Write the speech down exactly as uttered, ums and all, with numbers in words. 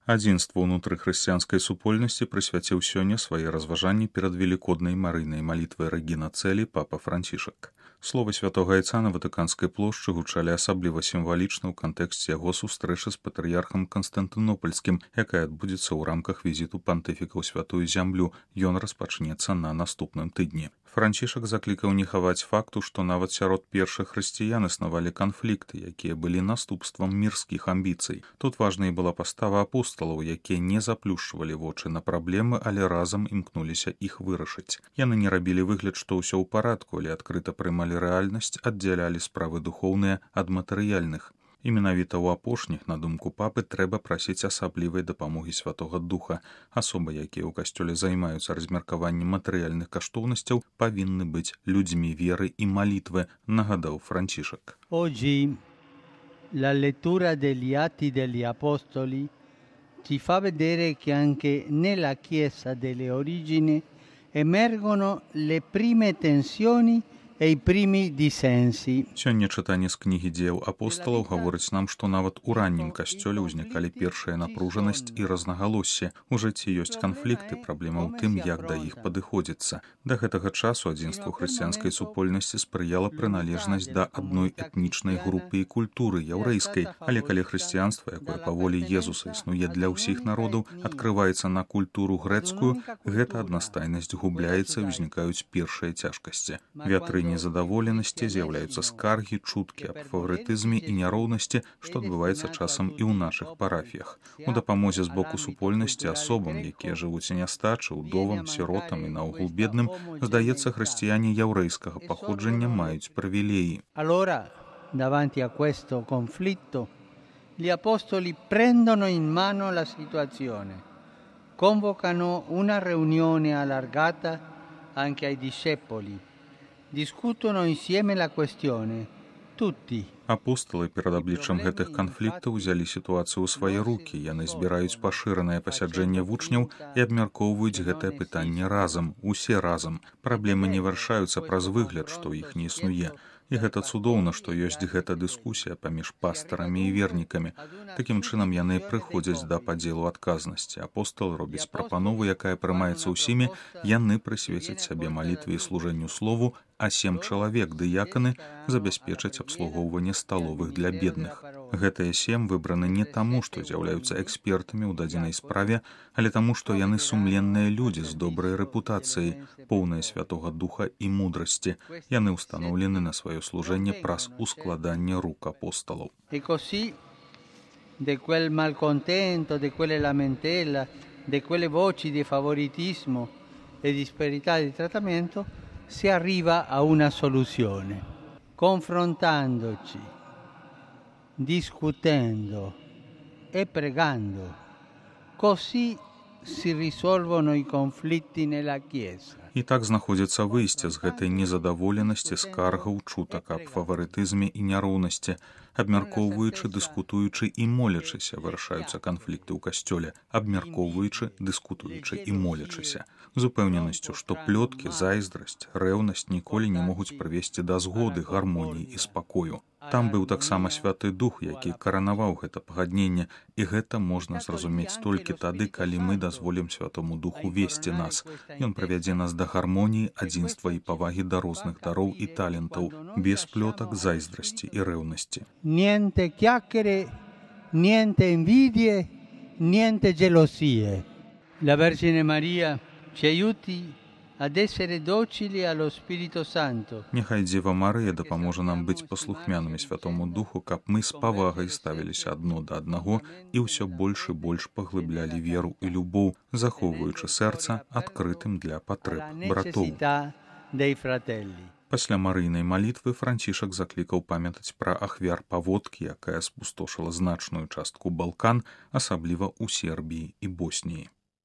Адзінству ўнутры хрысціянскай супольнасці прысвяціў сёння свае разважанні перад велікоднай марыйнай малітвай Рэгіна Цэлі папа Францішак. Словы святога айца на Ватыканскай плошчы гучалі асабліва сімвалічна ў кантэксце яго сустрэчы з патрыярхам Канстантынопольскім, якая адбудзецца ў рамках візіту пантыфіка ў святую зямлю. Ён распачнецца на наступным тыдні. Францішак заклікаў не хаваць факту, што нават сярод першых хрысціян існавалі канфлікты, якія былі наступствам мірскіх амбіцый. Тут важнай была пастава апосталаў, якія не заплюшчвалі вочы на праблемы, але разам імкнуліся іх вырашыць. Яны не рабілі выгляд, што ўсё ў парадку, але адкрыта прымалі рэальнасць, аддзялялі справы духоўныя ад матэрыяльных. І менавіта ў апошніх, на думку папы, трэба прасіць асаблівай дапамогі Святога Духа. Асобы, якія ў касцёле займаюцца размеркаваннем матэрыяльных каштоўнасцяў, павінны быць людзьмі веры і малітвы, нагадаў Францішак. Oggi la lettura degli Atti degli Apostoli ci fa vedere che anche nella Chiesa delle origini emergono le prime tensioni e i primi dissensi. Сёння чытанне з кнігі дзеяў апосталаў гаворыць нам, што нават у раннім касцёле ўзнікалі першая напружанасць і рознагалоссі. У жыцці ёсць канфлікты, праблема ў тым, як да іх падыходзіцца. Да гэтага часу адзінству хрысціянскай супольнасці спрыяла прыналежнасць да адной этнічнай групы і культуры яўрэйскай, але калі хрысціянства, якое па волі Езуса існуе для ўсіх народаў, адкрываецца на культуру грэцкую, гэта аднастайнасць губляецца і ўзнікаюць першыя цяжкасці. Вятры незадаволенасці, з'яўляюцца скаргі, чуткі аб фаварытызме і няроўнасці, што адбываецца часам і ў нашых парафіях. У дапамозе з боку супольнасці асобам, якія жывуць у нястачы, удовам, сіротам і наогул бедным, здаецца, хрысціяне яўрэйскага паходжання маюць прывілеі. Allora, davanti a questo conflitto, gli apostoli prendono in mano la situazione, convocano una riunione allargata anche ai discepoli. Discutono insieme la questione. Tutti. Апосталы перад абліччам гэтых канфліктаў узялі сітуацыю ў свае рукі. Яны збіраюць пашыранае пасяджэнне вучняў і абмяркоўваюць гэтае пытанне разам, усе разам. Праблемы не вырашаюцца праз выгляд, што іх не існуе. І гэта цудоўна, што ёсць гэта дыскусія паміж пастарамі і вернікамі. Такім чынам яны прыходзяць да падзелу адказнасці. Апостал робіць прапанову, якая прымаецца ўсімі, яны прысвецяць сабе малітве і служэнню слову, а сем чалавек, дыяканы, забяспечаць абслугоўванне сталовых для бедных. Гэтыя сем выбраны не таму, што з'яўляюцца экспертамі ў дадзенай справе, але таму, што яны сумленныя людзі з добрай рэпутацыяй, поўныя Святога Духа і мудрасці. Яны ўстаноўлены на сваё служэнне праз ускладанне рук апосталаў. E così de quel malcontento, de quelle lamentela, de quelle voci di favoritismo e disparità di trattamento si arriva a una soluzione, confrontandoci, discutendo e pregando. Così si risolvono i conflitti nella Chiesa. І так знаходзіцца выйсце з гэтай незадаволенасці, скаргаў, чутак аб фаварытызме і няроўнасці. Абмяркоўваючы, дыскутуючы і молячыся вырашаюцца канфлікты ў касцёле, абмяркоўваючы, дыскутуючы і молячыся. З упэўненасцю, што плёткі, зайздрасць, рэўнасць ніколі не могуць прывесці да згоды, гармоніі і спакою. Там быў таксама Святы Дух, які каранаваў гэта пагадненне, і гэта можна зразумець толькі тады, калі мы дазволім Святому Духу весці нас. Ён правядзе нас да гармоніі, адзінства і павагі да розных дароў і талентаў, без плётак, зайздрасці і рэўнасці. Niente chiacchiere, niente invidie, niente gelosie. La Vergine Maria ci aiuti ad essere docili allo Spirito Santo. Няхай Дзева Марыя дапаможа нам быць паслухмянымі Святому Духу, каб мы з павагай ставіліся адно да аднаго і ўсё больш і больш паглыблялі веру і любоў, захоўваючы сэрца адкрытым для патрэб братоў. Пасля марыйнай малітвы Францішак заклікаў памятаць пра ахвяр паводкі, якая спустошыла значную частку Балкан, асабліва ў Сербіі і Боснії.